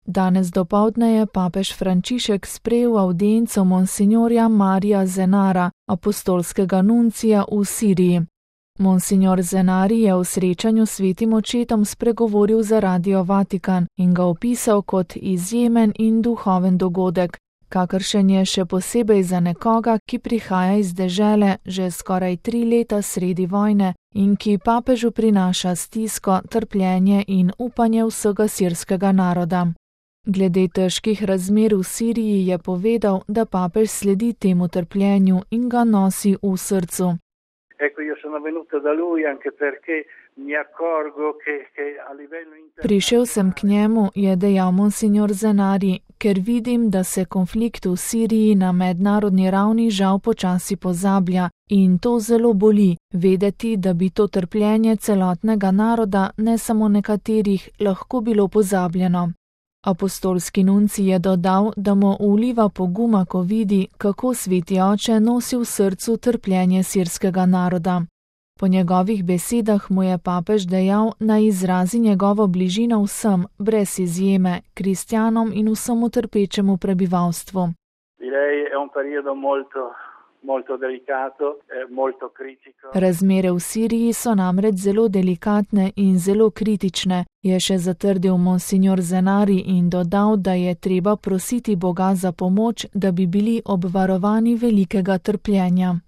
Danes dopoldne je papež Frančišek sprejel avdienco monsignorja Marija Zenara, apostolskega nuncija v Siriji. Monsignor Zenari je v srečanju s svetim očetom spregovoril za Radio Vatikan in ga opisal kot izjemen in duhoven dogodek, kakršen je še posebej za nekoga, ki prihaja iz dežele že skoraj 3 leta sredi vojne in ki papežu prinaša stisko, trpljenje in upanje vsega sirskega naroda. Glede težkih razmer v Siriji je povedal, da papež sledi temu trpljenju in ga nosi v srcu. Prišel sem k njemu, je dejal monsignor Zenari, ker vidim, da se konflikt v Siriji na mednarodni ravni žal počasi pozablja in to zelo boli, vedeti, da bi to trpljenje celotnega naroda, ne samo nekaterih, lahko bilo pozabljeno. Apostolski nuncij je dodal, da mu vliva poguma, ko vidi, kako sveti oče nosi v srcu trpljenje sirskega naroda. Po njegovih besedah mu je papež dejal, naj izrazi njegovo bližino vsem, brez izjeme, kristjanom in vsemu trpečemu prebivalstvu. Razmere v Siriji so namreč zelo delikatne in zelo kritične, je še zatrdil monsignor Zenari in dodal, da je treba prositi Boga za pomoč, da bi bili obvarovani velikega trpljenja.